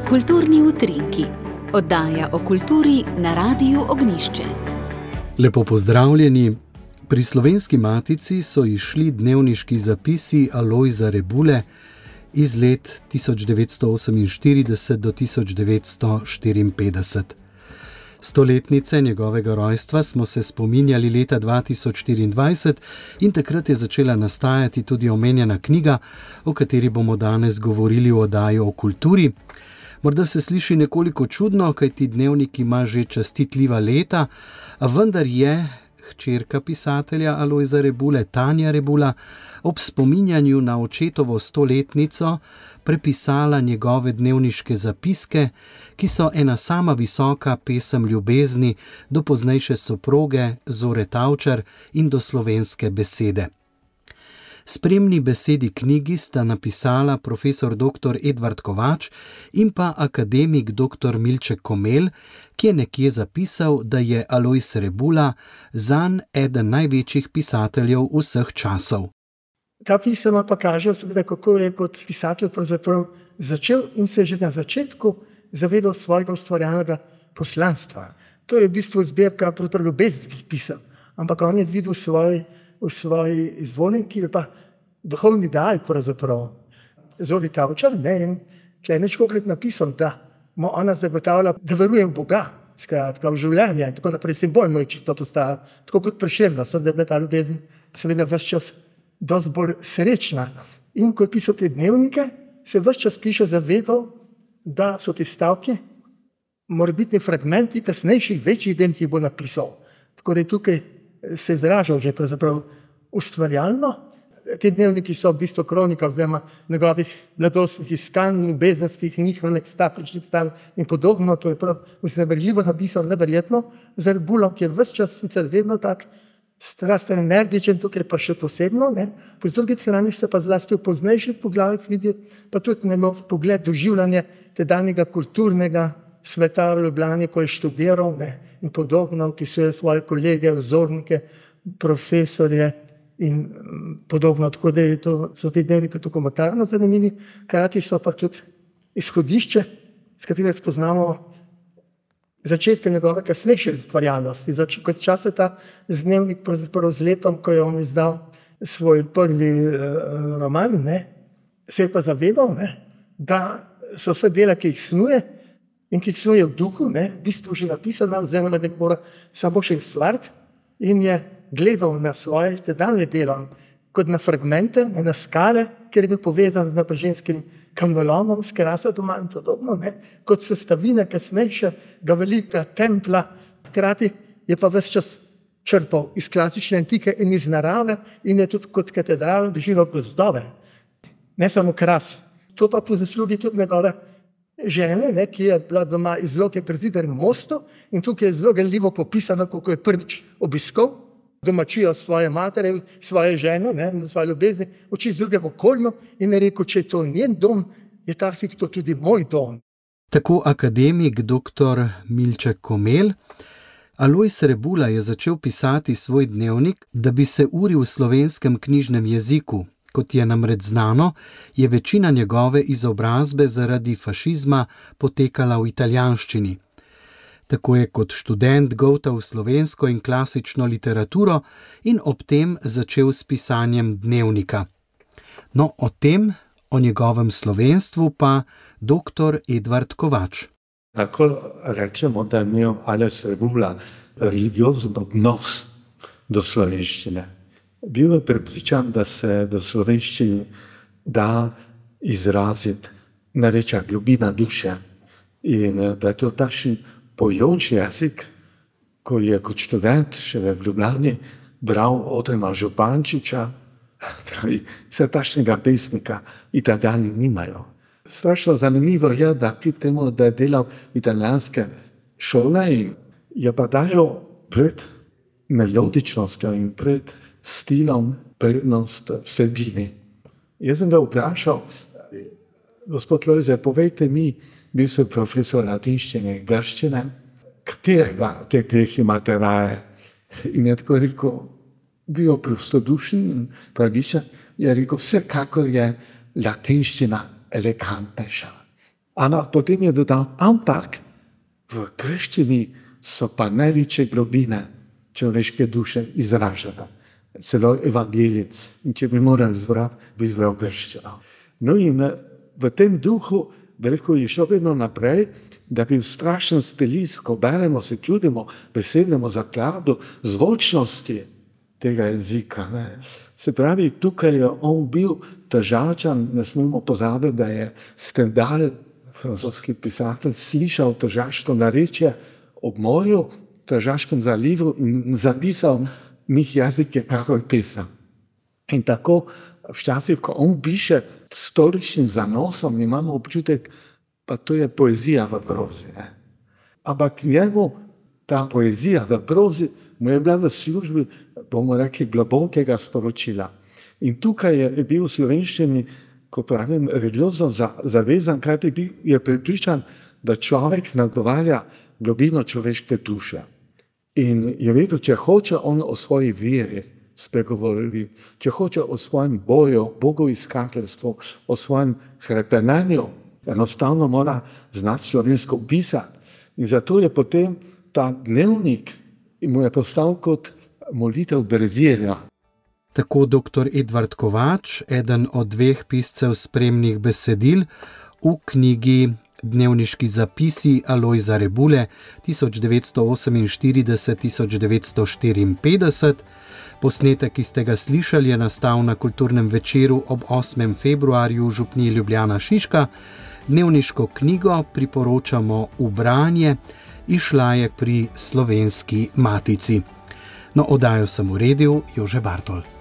Kulturni utrinki, oddaja o kulturi na Radiu Ognjišče. Lepo pozdravljeni. Pri Slovenski matici so izšli dnevniški zapisi Alojza Rebule iz let 1948 do 1954. Stoletnice njegovega rojstva smo se spominjali leta 2024 in takrat je začela nastajati tudi omenjena knjiga, o kateri bomo danes govorili v oddaji o kulturi. Morda se sliši nekoliko čudno, kajti dnevnik ima že častitljiva leta, a vendar je hčerka pisatelja Alojza Rebule, Tanja Rebula, ob spominjanju na očetovo stoletnico prepisala njegove dnevniške zapiske, ki so ena sama visoka pesem ljubezni do poznejše soproge Zore Tavčar in do slovenske besede. Spremni besedi knjigi sta napisala profesor dr. Edvard Kovač in pa akademik dr. Milček Komelj, ki je nekje zapisal, da je Alojz Rebula zanj eden največjih pisateljev vseh časov. Ta pisema pa kaže, kako je kot pisatelj pravzaprav začel in se že na začetku zavedal svojega ustvarjalnega poslanstva. To je v bistvu zbirka ljubezenskih pisem, ampak on je videl v svoji izvoljenki, pa duhovni ideal pravzaprav. Zori Tavčar, in tle je nečkokrat napisal, da mu ona zagotavlja, da veruje v Boga, skratka, v življenje, in tako naprej, simbolno je to postaja, tako kot Prešerno, da je bila ta ljubezen seveda ves čas dosti bolj srečna. In ko je pisal te dnevnike, se ves čas piše zavedal, da so te stavke morebitni fragmenti kasnejših večjih del, ki jih bo napisal. Tako da je tukaj se izražal že pravzaprav ustvarjalno. Te dnevniki so v bistvu kronika oziroma njegovih mladostnih iskanj, ljubezenskih, njihovih ekstatičnih stanj in podobno. To je prav vznemirljivo napisal, neverjetno, za Rebulo, ki je ves čas sicer vedno tak strasten, energičen, tukaj pa še posebno. Po drugi strani se pa zlasti v poznejših poglavjih vidi pa tudi njegov pogled, doživljanje tedanjega kulturnega sveta v Ljubljani, ko je študiral in podobno, opisuje svoje kolege, vzornike, profesorje in podobno. Tako da so te dnevniki dokumentarno zanimivi, hkrati so pa tudi izhodišče, s katerega spoznamo začetke njegove kasnejše ustvarjalnosti. Kot čas je ta dnevnik pravzaprav z letom, ko je on izdal svoj prvi roman, se je pa zavedal, da so vse dela, ki jih snuje in ki jih snuje v duhu, v bistvu že napisana, oziroma da mora samo še ustvariti, in je gledal na svoje tedanje delo kot na fragmente, na skale, ker je bil povezan z napreženskim kamnolomom, s Krasa doma in podobno, kot sestavine kasnejšega velika templa. Hkrati je pa ves čas črpal iz klasične antike in iz narave in je tudi kot katedral doživel gozdove. Ne samo Kras. To pa po zaslugi tudi njegove žene, ki je bila doma iz Loke pri Zidarnem mostu, in tukaj je zelo ganljivo popisano, kako je prvič obiskal domačijo svoje matere, svoje žene, svoje ljubezni, oči z drugem okolju, in je rekel, če je to njen dom, je ta hip to tudi moj dom. Tako akademik dr. Milček Komelj. Alojz Rebula je začel pisati svoj dnevnik, da bi se uril v slovenskem knjižnem jeziku. Kot je namreč znano, je večina njegove izobrazbe zaradi fašizma potekala v italijanščini. Tako je kot študent goltal slovensko in klasično literaturo in ob tem začel s pisanjem dnevnika. No, o tem, o njegovem slovenstvu pa dr. Edvard Kovač. Lahko rečemo, da je imel Alojz Rebula religiozen odnos do slovenščine. Bil je prepričan, da se v slovenščini da izraziti največja globina duše in da je to takšen pojoč jezik, ko je kot študent še v Ljubljani bral Otrema Župančiča, vse takšnega pesnika Italijani nimajo. Strašno zanimivo je, da kljub temu, da je delal italijanske šole, je pa dajal pred melodičnostjo in pred stilom prednost vsebini. Jaz sem ga vprašal, gospod Lojze, povejte mi, bil sem profesor latinščine in grščine, katerega od teh dveh imate raje? In je tako rekel, bil prostodušen in pravičen, je rekel, vsekakor je latinščina elegantnejša. Ampak potem je dodal, ampak v grščini so pa največje globine človeške duše izražene. Celo evangelij. In če bi morali izbrati, bi izbral grščino. No in v tem duhu, je šlo vedno naprej, da bi v strašnem stilisku, ko beremo, se čudimo besednemu zakladu zvočnosti tega jezika. Ne. Se pravi, tukaj je on bil Tržačan, ne smemo pozabiti, da je Stendhal, francoski pisatelj, slišal tržaško narečje ob morju, v Tržaškem zalivu in zapisal njih jezike, kako je pisal. In tako včasih, ko on piše s tolikšnim zanosom, imamo občutek, pa to je poezija v prozi. Ne. Ampak njemu ta poezija v prozi mu je bila v službi, bomo rekli, globokega sporočila. In tukaj je bil v slovenščini, ko pravim, religiozno zavezan, kajti je prepričan, da človek nagovarja globino človeške duše. In je vedel, če hoče on o svoji veri spregovoriti, če hoče o svojem boju, bogoiskateljstvu, o svojem hrepenenju, enostavno mora znati slovensko pisati. In zato je potem ta dnevnik in mu je postal kot molitev brevirja. Tako dr. Edvard Kovač, eden od 2 piscev spremnih besedil v knjigi Dnevniški zapisi Alojza Rebule 1948-1954. Posnetek, ki ste ga slišali, je nastal na Kulturnem večeru ob 8. februarju v župniji Ljubljana Šiška. Dnevniško knjigo priporočamo v branje, izšla je pri Slovenski matici. No, oddajo sem uredil Jože Bartol.